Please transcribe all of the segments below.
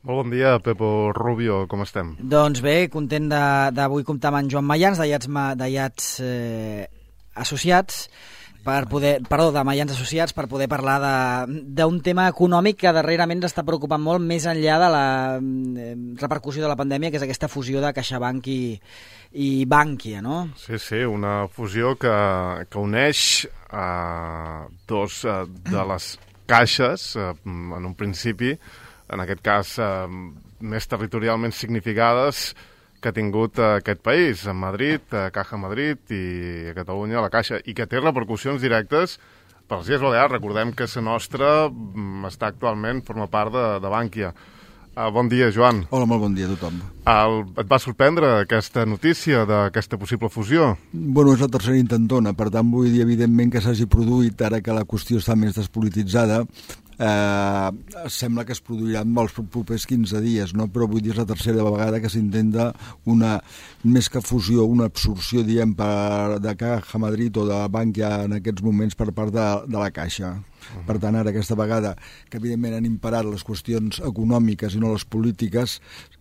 Molt bon dia, Pepo Rubio, com estem? Doncs bé, content d'avui comptar amb en Joan Mayans, d'Aiats Associats, de Mayans Associats, per poder parlar d'un tema econòmic que darrerament està preocupant molt més enllà de la repercussió de la pandèmia, que és aquesta fusió de CaixaBank i Bankia, no? Sí, una fusió que uneix dos de les caixes, en un principi, en aquest cas més territorialment significades que ha tingut aquest país, a Madrid, a Caja Madrid i a Catalunya, a la Caixa, i que té repercussions directes per les Illes Balears. Recordem que la nostra està actualment, forma part de Bankia. Bon dia, Joan. Hola, molt bon dia a tothom. Et va sorprendre aquesta notícia d'aquesta possible fusió? Bueno, és la tercera intentona, per tant vull dir evidentment que s'hagi produït ara que la qüestió està més despolititzada. Sembla que es produiran els propers 15 dies, no? Però vull dir és la tercera vegada que s'intenta una, més que fusió, una absorció, diem, de Caja Madrid o de Bankia en aquests moments per part de la Caixa. Per tant, ara aquesta vegada que evidentment han imparat les qüestions econòmiques i no les polítiques,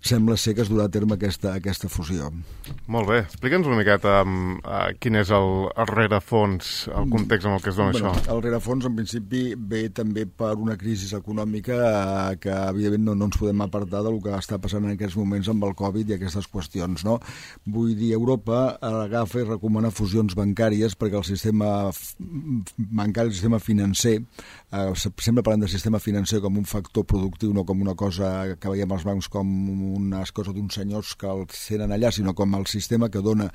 sembla ser que es durà a terme aquesta fusió. Molt bé, explica'ns una miqueta quin és el rerefons, el context en el que es dona això. El rerefons en principi ve també per una crisi econòmica que evidentment no ens podem apartar del que està passant en aquests moments amb el Covid i aquestes qüestions, no? Vull dir, Europa agafa i recomana fusions bancàries perquè el sistema bancari, el sistema financer, sempre parlem del sistema financer com un factor productiu, no com una cosa que veiem als bancs com unes coses d'uns senyors que els tenen allà, sinó com el sistema que dona,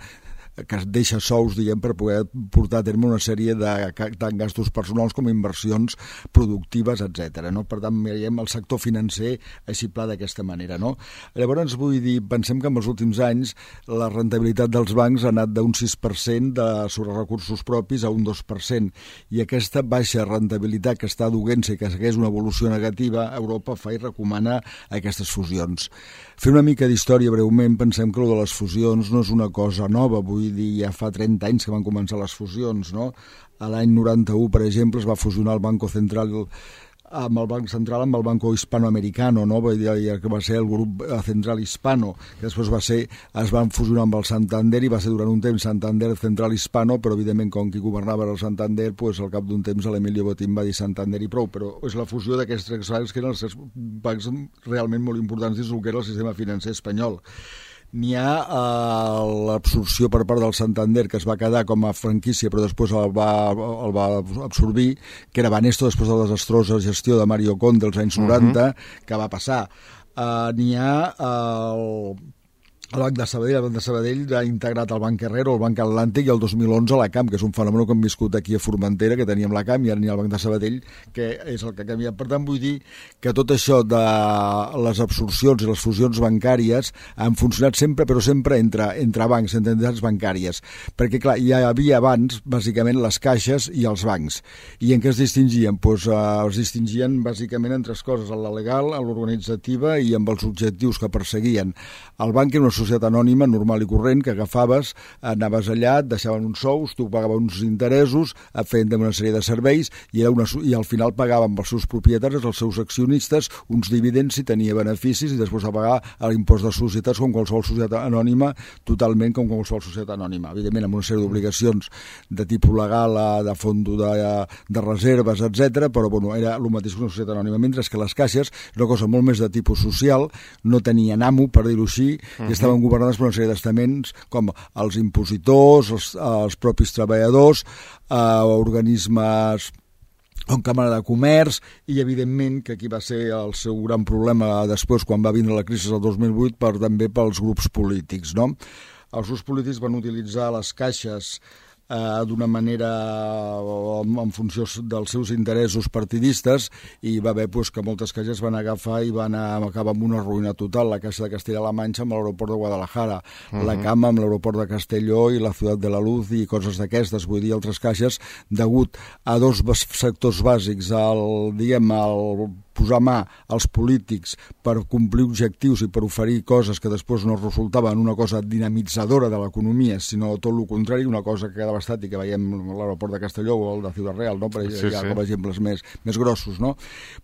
que es deixa sous, diguem, per poder portar a terme una sèrie de tant gastos personals com inversions productives, etc. No? Per tant, veiem el sector financer així pla d'aquesta manera. No? Llavors, vull dir, pensem que en els últims anys la rentabilitat dels bancs ha anat d'un 6% sobre recursos propis a un 2%, i aquesta baixa rentabilitat que està duent-se i que segueix una evolució negativa, Europa fa i recomana aquestes fusions. Fer una mica d'història breument, pensem que el de les fusions no és una cosa nova, vull dir, ja fa 30 anys que van començar les fusions, no? A l'any 91, per exemple, es va fusionar el Banco Central amb el Banc Central amb el Banco Hispanoamericano, no? Que va ser el grup Central Hispano, que després es van fusionar amb el Santander i va ser durant un temps Santander Central Hispano, però evidentment com qui governava el Santander, pues, al cap d'un temps l'Emilio Botín va dir Santander i prou, però és la fusió d'aquests tres bancs que eren els bancs realment molt importants dins del que era el sistema financer espanyol. N'hi ha l'absorció per part del Santander, que es va quedar com a franquícia però després el va absorbir, que era Banesto després de la desastrosa gestió de Mario Conde als anys 90, que va passar. N'hi ha el Banc de Sabadell ha integrat el Banc Herrero, el Banc Atlàntic i el 2011 la CAM, que és un fenomen que hem viscut aquí a Formentera, que teníem la CAM i ara n'hi ha el Banc de Sabadell, que és el que ha canviat. Per tant, vull dir que tot això de les absorcions i les fusions bancàries han funcionat sempre, però sempre entre bancs, entre entitats bancàries. Perquè, clar, hi havia abans, bàsicament, les caixes i els bancs. I en què es distingien? Doncs es distingien, bàsicament, en tres coses, en la legal, en l'organitzativa i amb els objectius que perseguien. El banc era una societat anònima normal i corrent que agafaves, anaves allà, et deixaven uns sous, tu pagaves uns interessos, feien una sèrie de serveis i al final pagaven als seus propietaris, als seus accionistes, uns dividends si tenia beneficis i després de pagar l'impost de societats com qualsevol societat anònima, totalment com qualsevol societat anònima. Evidentment, amb una sèrie d'obligacions de tipus legal, de fons de reserves, etc. Però bueno, era el mateix que una societat anònima. Mentre que les caixes és una cosa molt més de tipus social, no tenien amo, per dir-ho així, i estaven governades per una sèrie d'estaments com els impositors, els propis treballadors, organismes com Càmera de Comerç i, evidentment, que aquí va ser el seu gran problema després quan va vindre la crisi del 2008 també pels grups polítics, no? Els grups polítics van utilitzar les caixes d'una manera en funció dels seus interessos partidistes i va haver que moltes caixes van agafar i van acabar amb una ruïna total. La Caixa de Castella-La Manxa amb l'aeroport de Guadalajara, la CAM amb l'aeroport de Castelló i la Ciutat de la Luz i coses d'aquestes. Vull dir, altres caixes, degut a dos sectors bàsics, el posar mà als polítics per complir objectius i per oferir coses que després no resultaven una cosa dinamitzadora de l'economia, sinó tot el contrari, una cosa que quedava estàtica, veiem l'aeroport de Castelló o el de Ciudad Real, no? Com a exemples més grossos, no?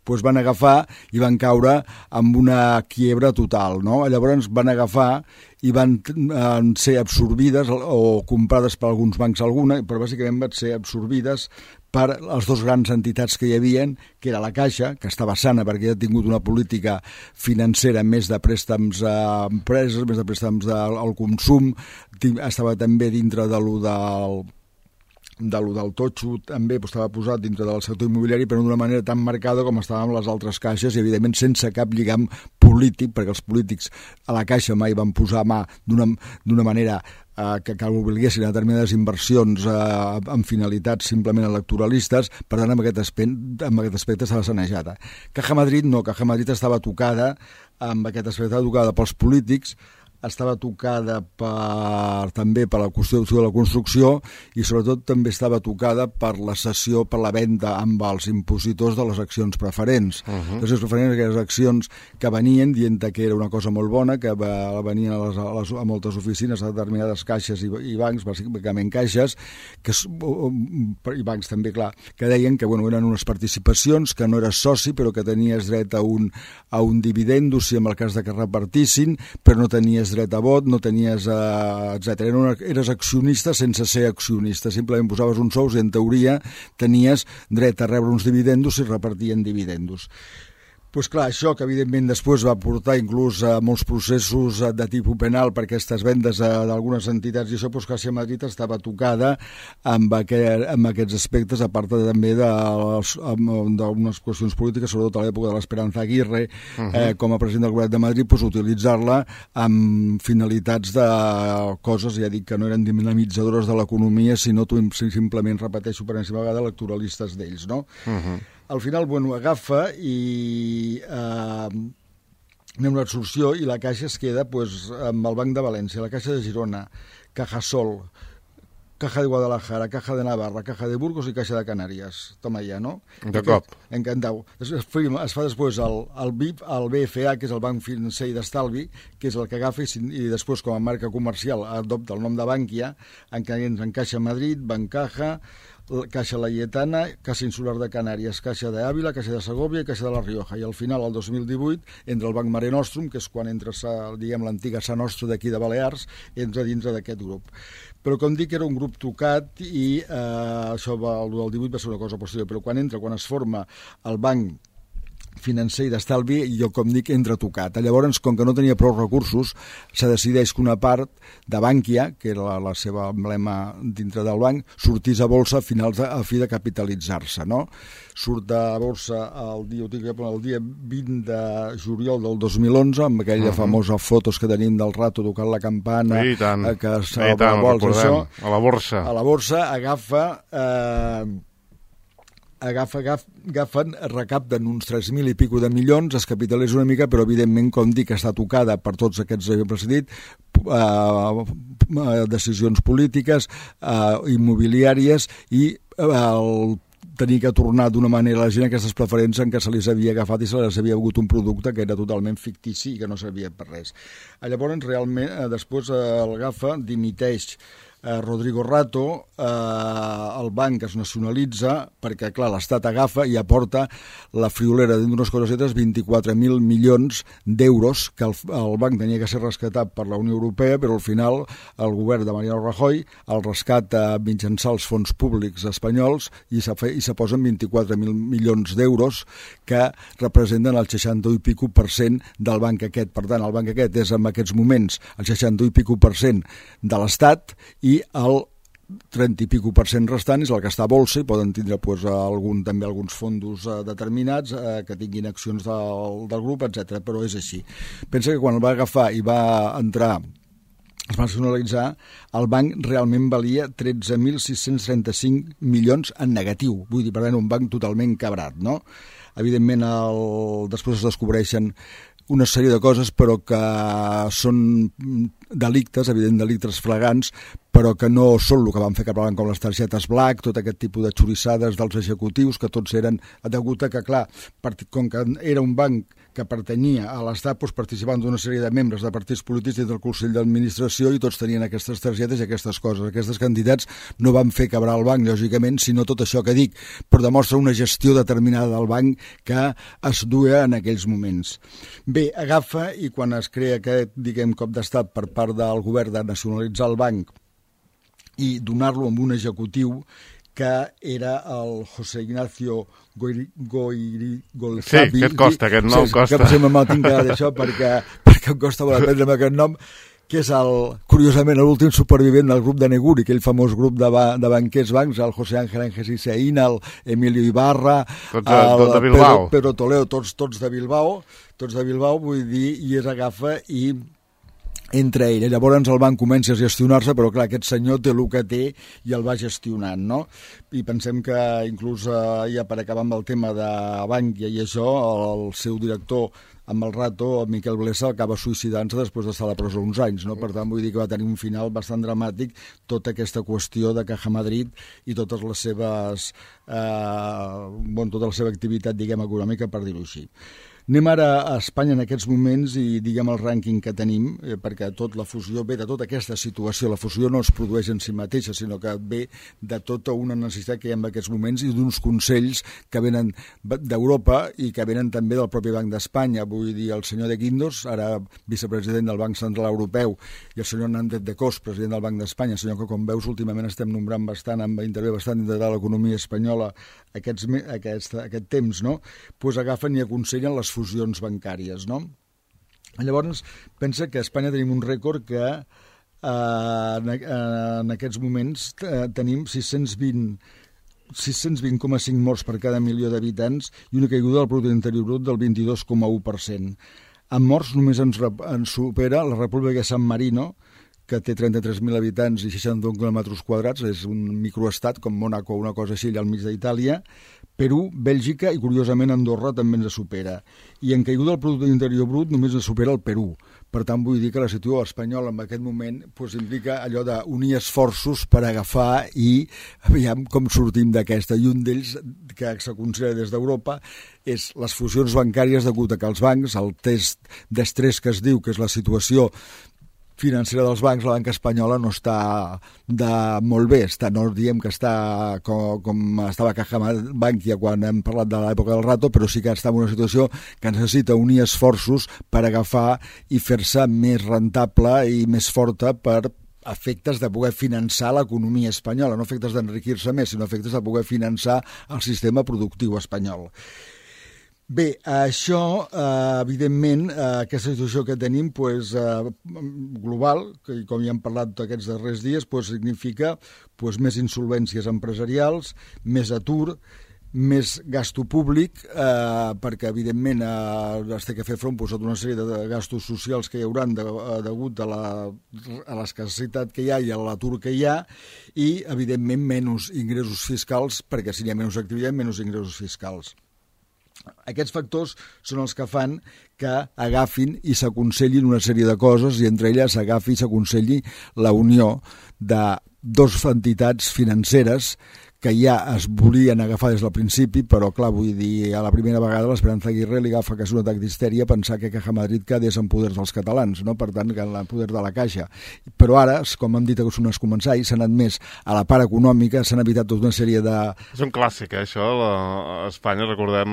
Pues van agafar i van caure amb una quiebra total, no? Llavors van agafar i van ser absorbides o comprades per alguns bancs però bàsicament van ser absorbides per les dues grans entitats que hi havia, que era la Caixa, que estava sana perquè ha tingut una política financera més de préstecs a empreses, més de préstecs al consum, estava també dintre de lo del totxo, també estava posat dintre del sector immobiliari, però d'una manera tan marcada com estaven les altres caixes i, evidentment, sense cap lligam polític, perquè els polítics a la Caixa mai van posar mà d'una manera que obliguessin a determinades inversions amb finalitats simplement electoralistes. Per tant, amb aquest aspecte estava sanejada. Caja Madrid no, Caja Madrid estava tocada, amb aquest aspecte tocada pels polítics, estava tocada també per la qüestió de la construcció i sobretot també estava tocada per la cessió, per la venda amb els impositors de les accions preferents. Les accions preferents, aquelles accions que venien dient que era una cosa molt bona, que venien a moltes oficines, a determinades caixes i bancs, bàsicament caixes, i bancs també, clar, que deien que eren unes participacions, que no eres soci però que tenies dret a un dividendo si en el cas de que repartissin, però no tenies dret a vot, no tenies, etc. Eres accionista sense ser accionista, simplement posaves uns sous i en teoria tenies dret a rebre uns dividendos si repartien dividendos. Doncs clar, això que evidentment després va portar inclús a molts processos de tipus penal per aquestes vendes d'algunes entitats i això, doncs Caixa Madrid estava tocada amb aquests aspectes, a part també d'unes qüestions polítiques, sobretot a l'època de l'Esperanza Aguirre, com a president del Govern de Madrid, doncs utilitzar-la amb finalitats de coses, ja dic, que no eren dinamitzadores de l'economia, sinó simplement, repeteixo per enèsima vegada, electoralistes d'ells, no? Al final, agafa i anem a l'absorció i la Caixa es queda amb el Banc de València, la Caixa de Girona, Cajasol, Caja de Guadalajara, Caja de Navarra, Caja de Burgos i Caixa de Canàries. Toma ja, no? De cop. Encantau. Es fa després el BIP, el BFA, que és el Banc Financer i d'Estalvi, que és el que agafa i després com a marca comercial adopta el nom de Bankia, en què entren Caixa Madrid, Bancaja, Caixa Laietana, Caixa Insular de Canàries, Caixa d'Àvila, Caixa de Segòvia i Caixa de la Rioja. I al final, el 2018, entra el Banc Mare Nostrum, que és quan entra, diguem, l'antiga Sa Nostra d'aquí de Balears, entra dintre d'aquest grup. Però, com dic, era un grup tocat i això, el del 18 va ser una cosa posterior, però quan es forma el Banc Financer i d'Estalvi, jo, com dic, entra tocat. Llavors, com que no tenia prou recursos, se decideix que una part de Bankia, que era la seva emblema dintre del banc, sortís a bolsa a fi de capitalitzar-se, no? Surt a bolsa el dia 20 de juliol del 2011, amb aquella famosa fotos que tenim del rato tocant la campana, que a la borsa. A la borsa recapten uns 3.000 i pico de milions, es capitalitza una mica, però evidentment, com dic, està tocada per tots aquests que he precedit, decisions polítiques, immobiliàries i tenir que tornar d'una manera a la gent aquestes preferents en què se les havia agafat i se les havia hagut un producte que era totalment fictici i que no servia per res. Llavors, realment, després l'agafa, dimiteix Rodrigo Rato, el banc es nacionalitza perquè, clar, l'Estat agafa i aporta la friolera d'unes coses altres 24.000 milions d'euros que el banc tenia que ser rescatat per la Unió Europea, però al final el govern de Mariano Rajoy el rescata mitjançant els fons públics espanyols i se posen 24.000 milions d'euros que representen el 61 i pico % del banc aquest. Per tant, el banc aquest és en aquests moments el 61 i pico % de l'Estat i el 30 i pico % restant és el que està a bolsa i poden tindre també alguns fondos determinats que tinguin accions del grup, etc. Però és així. Pensa que quan el va agafar i va entrar, es va nacionalitzar, el banc realment valia 13.635 milions en negatiu. Vull dir, per tant, un banc totalment cabrat, no? Evidentment, després es descobreixen una sèrie de coses, però que són delictes, evident delictes flagrants, però que no són el que van fer que parlaven com les targetes black, tot aquest tipus de xorissades dels executius, que tots eren degut a que, clar, com que era un banc que pertanyia a l'Estat, doncs participaven d'una sèrie de membres de partits polítics dins del Consell d'Administració i tots tenien aquestes targetes i aquestes coses. Aquestes quantitats no van fer quebrar el banc, lògicament, sinó tot això que dic, però demostra una gestió determinada del banc que es duia en aquells moments. Bé, agafa i quan es crea aquest, diguem, cop d'estat per part del govern de nacionalitzar el banc i donar-lo amb un executiu que era el José Ignacio Goyrigolezavi. Sí, que et costa, aquest nom costa. Que sempre me'l tinc que d'això perquè em costa molt aprendre'm aquest nom, que és, curiosament, l'últim supervivent del grup de Neguri, aquell famós grup de banquers bancs, el José Ángel Angelisseín, el Emilio Ibarra, de Bilbao. Pedro Toledo, tots de Bilbao, vull dir, i es agafa i entre ell. Llavors el banc comença a gestionar-se, però clar, aquest senyor té el que té i el va gestionant, no? I pensem que inclús ja per acabar amb el tema de Bankia i això, el seu director amb el rato, el Miquel Blesa, acaba suïcidant-se després d'estar a la presó uns anys, no? Per tant, vull dir que va tenir un final bastant dramàtic tota aquesta qüestió de Caja Madrid i totes les seves tota la seva activitat, diguem, econòmica, per dir-ho així. Anem ara a Espanya en aquests moments i diguem el rànquing que tenim, perquè la fusió ve de tota aquesta situació. La fusió no es produeix en si mateixa, sinó que ve de tota una necessitat que hi ha en aquests moments i d'uns consells que venen d'Europa i que venen també del propi Banc d'Espanya. Vull dir, el senyor de Guindos, ara vicepresident del Banc Central Europeu, i el senyor Nández de Cos, president del Banc d'Espanya, senyor que, com veus, últimament estem nombrant bastant, intervé bastant dintre de l'economia espanyola aquest temps, no? Pues agafen i aconsellen les fusions bancàries, no? Llavors, pensa que a Espanya tenim un rècord que en aquests moments tenim 620,5 morts per cada milió d'habitants i una caiguda del producte interior brut del 22,1%. En morts només ens supera la República de San Marino, que té 33.000 habitants i 61 quilòmetres quadrats, és un microestat com Mònaco o una cosa així allà al mig d'Itàlia. Perú, Bèlgica i, curiosament, Andorra també ens supera. I en caiguda del producte interior brut només ens supera el Perú. Per tant, vull dir que la situació espanyola en aquest moment implica allò d'unir esforços per agafar i aviam com sortim d'aquesta. I un d'ells, que se considera des d'Europa, és les fusions bancàries degut a que els bancs, el test d'estrès que es diu, que és la situació financera dels bancs, la banca espanyola no està molt bé, no diem que està com estava Caja Bankia quan hem parlat de l'època del rato, però sí que està en una situació que necessita unir esforços per agafar i fer-se més rentable i més forta per efectes de poder finançar l'economia espanyola, no efectes d'enriquir-se més, sinó efectes de poder finançar el sistema productiu espanyol. Bé, això, evidentment, aquesta situació que tenim global, que com ja hem parlat aquests darrers dies, significa més insolvències empresarials, més atur, més gasto públic, perquè, evidentment, es té que fer front a tota una sèrie de gastos socials que hi haurà degut a l'escassetat que hi ha i a l'atur que hi ha, i, evidentment, menys ingressos fiscals, perquè si hi ha menys activitat, menys ingressos fiscals. Aquests factors són els que fan que agafin i s'aconsellin una sèrie de coses i entre elles s'agafi i s'aconselli la unió de dues entitats financeres que ja es volien agafar des del principi, però clar, vull dir, a la primera vegada l'Esperanza Aguirre li agafa quasi un atac d'histèria pensar que Caja Madrid quedés en poder dels catalans, no? Per tant, que en poder de la Caixa. Però ara, com hem dit que són els començaris, s'han anat més a la part econòmica, s'han evitat tota una sèrie de... És un clàssic, això, a Espanya, recordem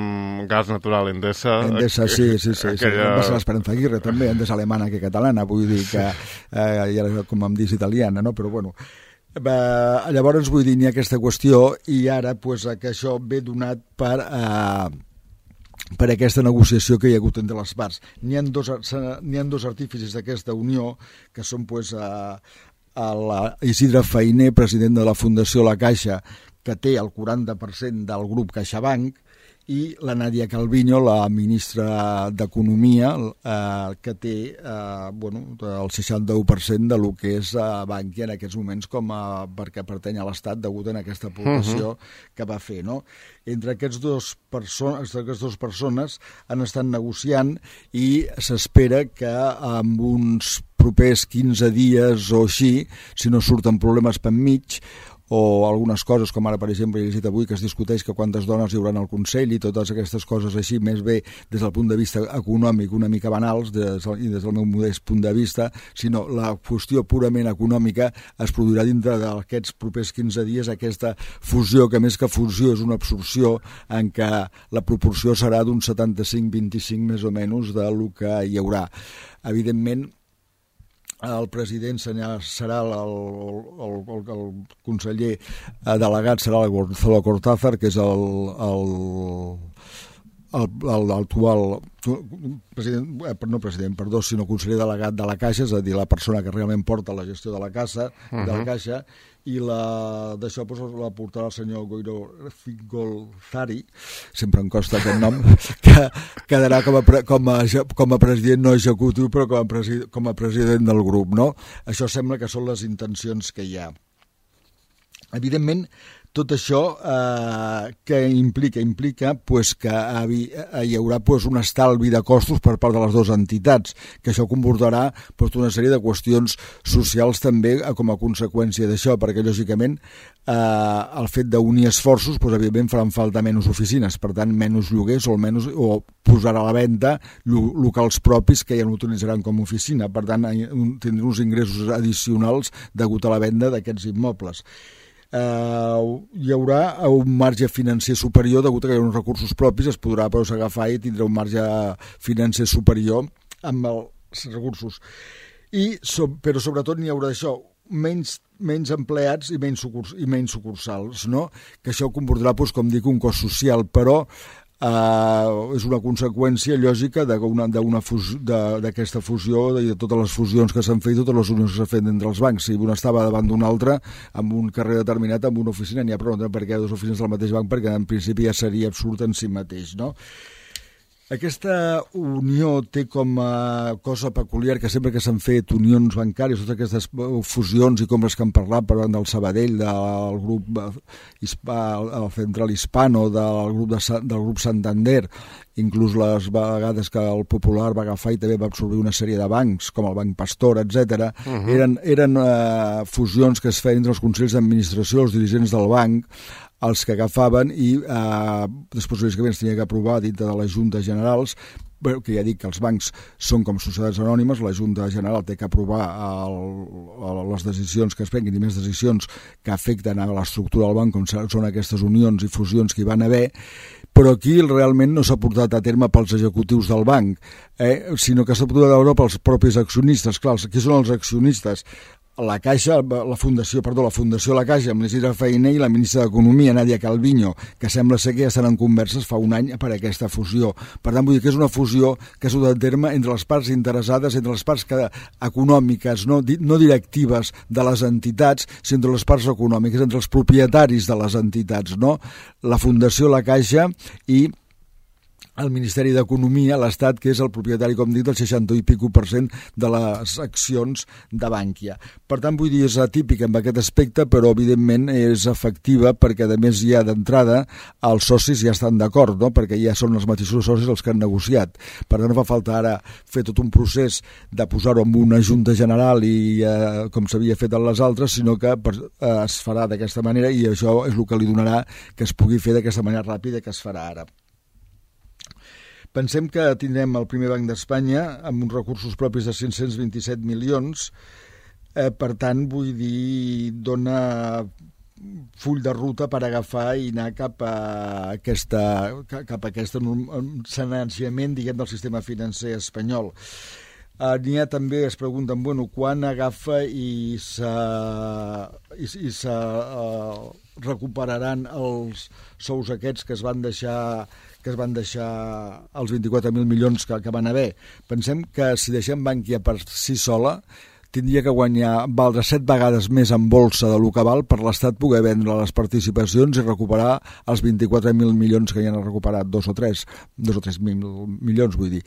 gas natural, Endesa... Endesa, sí. Va ser l'Esperanza Aguirre, també, Endesa alemana que catalana, vull dir que, com em dius, italiana, no? Però bueno... Llavors, vull dir, n'hi ha aquesta qüestió i ara que això ve donat per aquesta negociació que hi ha hagut entre les parts. N'hi ha dos artífices d'aquesta unió, que són Isidre Fainé, president de la Fundació La Caixa, que té el 40% del grup CaixaBank, i la Nadia Calviño, la ministra d'Economia, que té el 61% de lo que és Bankia en aquests moments perquè pertany a l'Estat degut a aquesta aportació que va fer, no? Entre aquestes dues persones han estat negociant i s'espera que amb uns propers 15 dies o així, si no surten problemes per mig, o algunes coses, com ara, per exemple, he llegit avui que es discuteix que quantes dones hi haurà al Consell i totes aquestes coses així, més bé des del punt de vista econòmic una mica banals i des del meu modest punt de vista, sinó la qüestió purament econòmica es produirà dintre d'aquests propers 15 dies aquesta fusió, que més que fusió és una absorció en què la proporció serà d'un 75-25 més o menys del que hi haurà. Evidentment, el president serà el conseller delegat, serà Gonzalo Cortázar, que és l'actual sinó conseller delegat de la Caixa, és a dir, la persona que realment porta la gestió de la Caixa, i d'això la portarà el senyor Goiro Fingolzari, sempre em costa aquest nom, que quedarà com a president no executiu, però com a president del grup, no? Això sembla que són les intencions que hi ha. Evidentment, tot això que implica pues, que hi haurà pues, un estalvi de costos per part de les dues entitats, que això comportarà pues, una sèrie de qüestions socials també com a conseqüència d'això, perquè lògicament el fet d'unir esforços pues, evidentment faran falta menys oficines, per tant menys lloguers o posar a la venda locals propis que ja no utilitzaran com a oficina, per tant tindran uns ingressos addicionals degut a la venda d'aquests immobles. Hi haurà un marge financer superior degut a que hi ha uns recursos propis, es podrà agafar i tindrà un marge financer superior amb els recursos però sobretot n'hi haurà això, menys empleats i menys sucursals, no? Que això comportarà, com dic, un cost social, però és una conseqüència lògica d'aquesta fusió i de totes les fusions que s'han fet i totes les unions que s'han fet entre els bancs. Si un estava davant d'un altre amb un carrer determinat, amb una oficina, n'hi ha prou, perquè hi ha dues oficines del mateix banc, perquè en principi ja seria absurd en si mateix, no? Aquesta unió té com a cosa peculiar que sempre que s'han fet unions bancàries, totes aquestes fusions i com les que han parlat, parlant del Sabadell, del grup el Central Hispano, del grup Santander, inclús les vegades que el Popular va agafar i també va absorbir una sèrie de bancs, com el Banc Pastor, etc. Eren fusions que es feien entre els consells d'administració, els dirigents del banc, els que agafaven i després lògicament es tenia que aprovar dintre de les juntes generals, que ja dic que els bancs són com societats anònimes, la Junta General té que aprovar les decisions que es prenguin i més decisions que afecten a l'estructura del banc, com són aquestes unions i fusions que hi van haver, però aquí realment no s'ha portat a terme pels executius del banc, sinó que s'ha portat a veure pels propis accionistes. Clar, qui són els accionistes? La Caixa, la Fundació La Caixa, amb l'Isidre Fainé i la ministra d'Economia, Nadia Calviño, que sembla ser que ja estan en converses fa un any per aquesta fusió. Per tant, vull dir que és una fusió que s'ha dut a terme entre les parts interessades, entre les parts econòmiques, no directives de les entitats, sinó entre les parts econòmiques, entre els propietaris de les entitats, no? La Fundació La Caixa i el Ministeri d'Economia, l'Estat, que és el propietari, com dic, del 60 i pico % de les accions de Bankia. Per tant, vull dir, és atípica en aquest aspecte, però evidentment és efectiva perquè, a més, ja d'entrada els socis ja estan d'acord, no? Perquè ja són els mateixos socis els que han negociat. Per tant, no fa falta ara fer tot un procés de posar-ho en una junta general i com s'havia fet en les altres, sinó que es farà d'aquesta manera i això és el que li donarà que es pugui fer d'aquesta manera ràpida que es farà ara. Pensem que tindrem el primer banc d'Espanya amb uns recursos propis de 527 milions, per tant, vull dir, dona full de ruta per agafar i anar cap a aquest sanejament, diguem, del sistema financer espanyol. N'hi ha també, es pregunten, quan agafa i se recuperaran els sous aquests que es van deixar els 24.000 milions que van haver. Pensem que si deixem Bankia per si sola, tindria que valdre 7 vegades més en bolsa de lo que val per l'Estat poder vendre les participacions i recuperar els 24.000 milions que ja han recuperat, 2 o 3 milions, vull dir.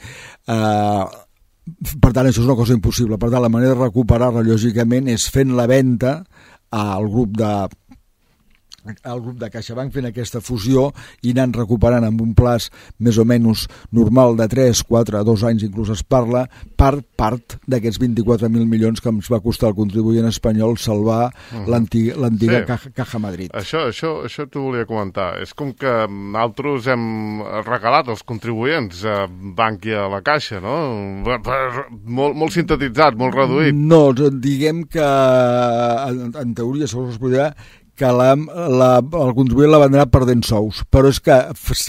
Per tant, això és una cosa impossible. Per tant, la manera de recuperar-la, lògicament, és fent la venda al grup de CaixaBank, fent aquesta fusió i anant recuperant amb un plaç més o menys normal de 3, 4, 2 anys, inclús es parla, part d'aquests 24.000 milions que ens va costar el contribuent espanyol salvar l'antiga Caja Madrid. Això t'ho volia comentar. És com que nosaltres hem regalat als contribuents Bankia a la Caixa, no? Molt sintetitzat, molt reduït. No, diguem que en teoria, segons es podrà, que el contribuent la vendrà perdent sous, però és que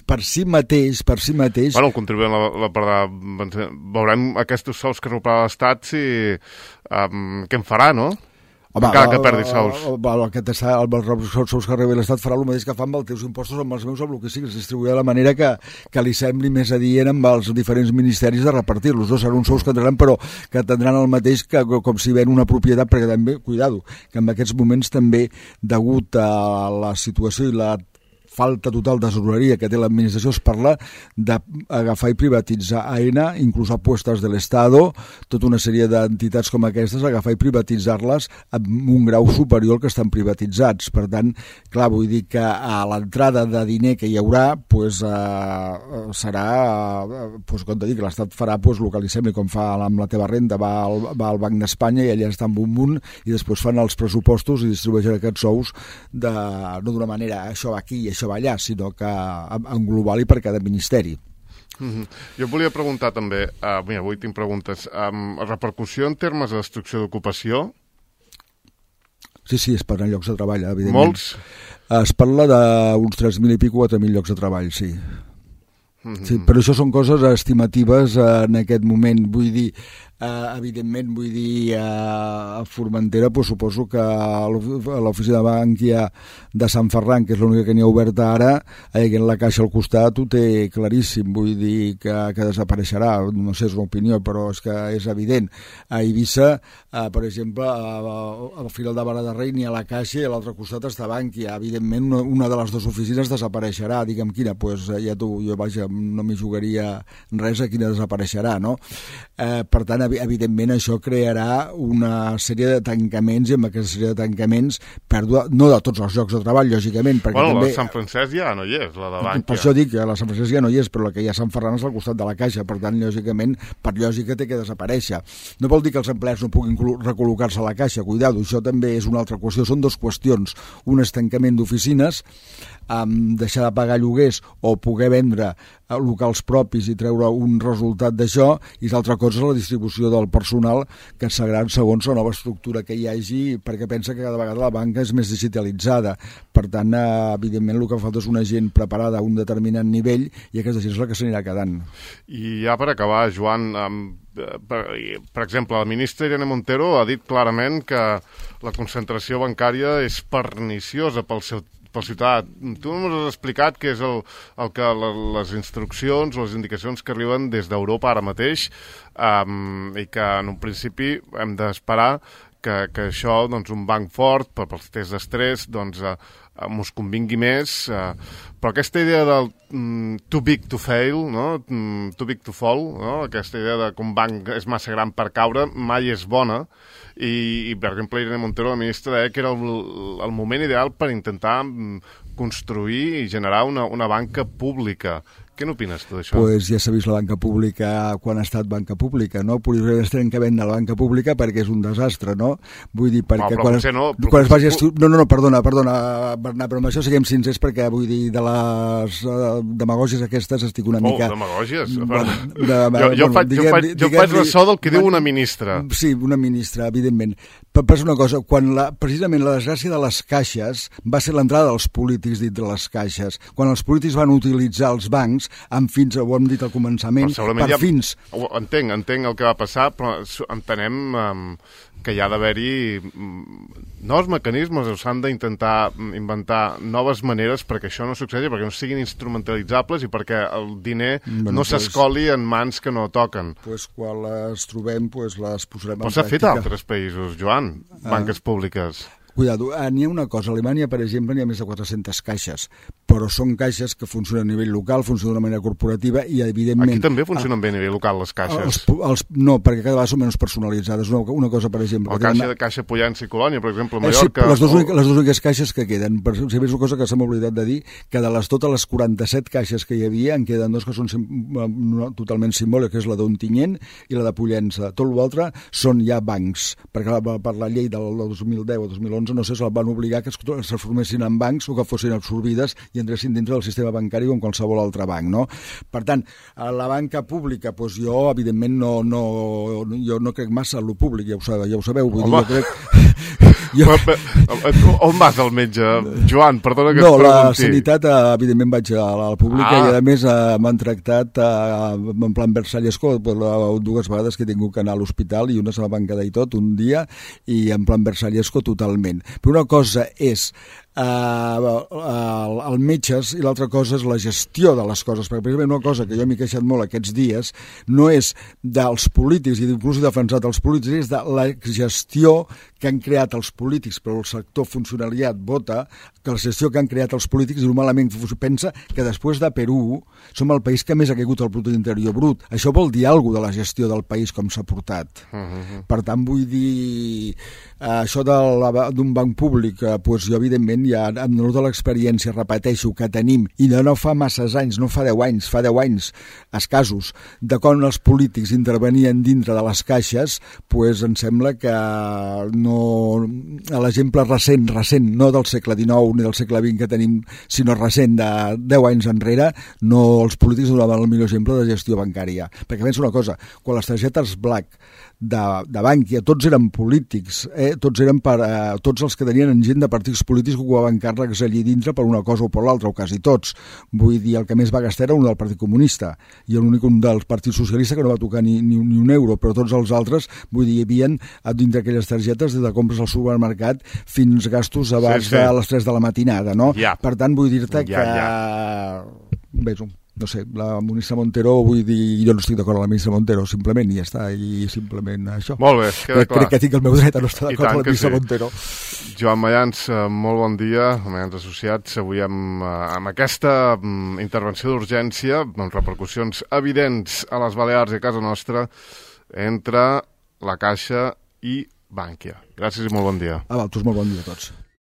per si mateix... Bueno, el contribuent la perdrà... Veurem aquests sous que recuperarà l'Estat què en farà, no? Home, encara que perdi sous. Els sous que rebi l'Estat farà el mateix que fa amb els teus impostos, amb els meus, amb el que sigui, es distribuirà de la manera que li sembli més adient amb els diferents ministeris de repartir-los. No seran uns sous que tindran, però que tindran el mateix que com si ven una propietat, perquè també, cuidado, que en aquests moments també, degut a la situació i la falta total de tesoreria que té l'administració, es parla d'agafar i privatitzar AENA, inclús apuestas de l'Estado, tota una sèrie d'entitats com aquestes, agafar i privatitzar-les amb un grau superior al que estan privatitzats. Per tant, clar, vull dir que a l'entrada de diner que hi haurà serà, com t'he dit, que l'Estat farà el que li sembli, com fa amb la teva renda, va al Banc d'Espanya i allà està amb un munt i després fan els pressupostos i distribueixen aquests sous no d'una manera, això va aquí i això va allà, sinó que en global i per cada ministeri. Jo volia preguntar també, mira, avui tinc preguntes, repercussió en termes de destrucció d'ocupació? Sí, es parlen llocs de treball, evidentment. Molts? Es parla d'uns 3.000 i pico, 4.000 llocs de treball, sí. Sí, però això són coses estimatives en aquest moment, vull dir, evidentment, vull dir, a Formentera, suposo que a l'oficina de Bankia de Sant Ferran, que és l'única que n'hi ha oberta ara, en la caixa al costat ho té claríssim, vull dir que desapareixerà, no sé, és una opinió, però és que és evident. A Eivissa, per exemple, al final de Barra de Rei n'hi ha la caixa i a l'altre costat està Bankia. Evidentment, una de les dues oficines desapareixerà, digue'm quina, doncs ja jo vaja, no m'hi jugaria res a quina desapareixerà, no? Per tant, evidentment això crearà una sèrie de tancaments i amb aquesta sèrie de tancaments pèrdua, no de tots els llocs de treball, lògicament, perquè bueno, també... la Sant Francesc ja no hi és, la de Bankia. Per això dic que la Sant Francesc ja no hi és, però la que hi ha a Sant Ferran és al costat de la Caixa, per tant, lògicament, per lògica té que desaparèixer. No vol dir que els empleats no puguin recol·locar-se a la Caixa, cuidado, això també és una altra qüestió, són dues qüestions, un és tancament d'oficines, deixar de pagar lloguers o poder vendre locals propis i treure un resultat d'això, i l'altra cosa és la distribució del personal que serà segons la nova estructura que hi hagi, perquè pensa que cada vegada la banca és més digitalitzada. Per tant, evidentment, el que fa falta és una gent preparada a un determinat nivell i aquesta gent és la que s'anirà quedant. I ja per acabar, Joan, per exemple, la ministra Irene Montero ha dit clarament que la concentració bancària és perniciosa pel ciutadà. Tu ens has explicat que és el que les instruccions o les indicacions que arriben des d'Europa ara mateix i que en un principi hem d'esperar que això, doncs, un banc fort pels tests d'estrès, doncs, mos convingui més, però aquesta idea del too big to fail, no? Too big to fall, no? Aquesta idea de que un banc és massa gran per caure mai és bona, i per exemple, Irene Montero, la ministra, deia que era el moment ideal per intentar construir i generar una banca pública. Què n'opines tu d'això? Pues ja s'ha vist la banca pública quan ha estat banca pública, no? Potser es tenen que vendre la banca pública perquè és un desastre, no? Vull dir, perquè quan es vagi... No, perdona, Bernat, però amb això siguem sincers perquè, vull dir, de les demagògies aquestes estic una mica... demagògies? Jo faig ressò del que diu una ministra. Sí, una ministra, evidentment. Però és una cosa, precisament la desgràcia de les caixes va ser l'entrada dels polítics dintre les caixes. Quan els polítics van utilitzar els bancs, temps, amb fins, ho hem dit al començament, per fins. Entenc el que va passar, però entenem que hi ha d'haver-hi nous mecanismes, s'han d'intentar inventar noves maneres perquè això no succeeixi, perquè no siguin instrumentalitzables i perquè el diner no s'escoli en mans que no toquen. Quan les trobem, les posarem en pràctica. Però s'ha fet a altres països, Joan, banques públiques. Cuidado, n'hi ha una cosa, a Alemanya, per exemple, n'hi ha més de 400 caixes, però són caixes que funcionen a nivell local, funcionen d'una manera corporativa i, evidentment... Aquí també funcionen bé a nivell local, les caixes. No, perquè cada vegada són menys personalitzades. Una cosa, per exemple... Caixa Pollença i Colònia, per exemple, a Mallorca... Sí, les dues úniques caixes que queden. Per exemple, és una cosa que s'ha oblidat de dir, que de totes les 47 caixes que hi havia, en queden dos que són totalment simbòliques, que és la d'Ontinyent i la de Pollença. Tot l'altre són ja bancs, perquè per la llei del 2010 o 2011 no sé, se'l van obligar que es transformessin en bancs o que fossin absorbides i entressin dintre del sistema bancari com qualsevol altre banc, no? Per tant, a la banca pública, jo, evidentment, jo no crec massa en lo públic, ja ho sabeu, vull dir, jo crec... On vas al metge, Joan? Perdona que et pregunti. No, la sanitat, evidentment, vaig a la pública i, a més, m'han tractat en plan Versallesco dues vegades que he tingut que anar a l'hospital i una se m'ha quedar i tot, un dia, i en plan Versallesco totalment. Però una cosa és el metges i l'altra cosa és la gestió de les coses, perquè precisament una cosa que jo m'he queixat molt aquests dies no és dels polítics, i inclús he defensat els polítics, és de la gestió que han creat els polítics, però el sector funcionariat vota que la gestió que han creat els polítics normalment pensa que després de Perú som el país que més ha caigut el producte interior brut. Això vol dir alguna cosa de la gestió del país com s'ha portat. Per tant, vull dir, això d'un banc públic, jo evidentment ja amb tota l'experiència, repeteixo, que tenim, i no fa masses anys, no fa 10 anys, fa 10 anys escassos, de quan els polítics intervenien dintre de les caixes, em sembla que l'exemple recent, no del segle XIX ni del segle XX que tenim, sinó recent de 10 anys enrere, els polítics donaven el millor exemple de gestió bancària. Perquè pensa una cosa, quan les targetes Black de Bankia, tots eren polítics, tots els que tenien gent de partits polítics que ocupaven càrrecs allí dintre per una cosa o per l'altra, o quasi tots. Vull dir, el que més va gastar era un del Partit Comunista i l'únic un del Partit Socialista que no va tocar ni un euro, però tots els altres, vull dir, hi havia dintre aquelles targetes des de compres al supermercat fins gastos abans de les 3 de la matinada, no? Per tant, vull dir-te que... Bé, no sé, la ministra Montero, vull dir, jo no estic d'acord amb la ministra Montero, simplement, i ja està, i simplement això. Molt bé, queda clar. Crec que tinc el meu dret a no estar d'acord amb la ministra Montero. Joan Mayans, molt bon dia, Mayans Associats, avui amb aquesta intervenció d'urgència, amb repercussions evidents a les Balears i a casa nostra, entre la Caixa i Bankia. Gràcies i molt bon dia. A vosaltres, molt bon dia a tots.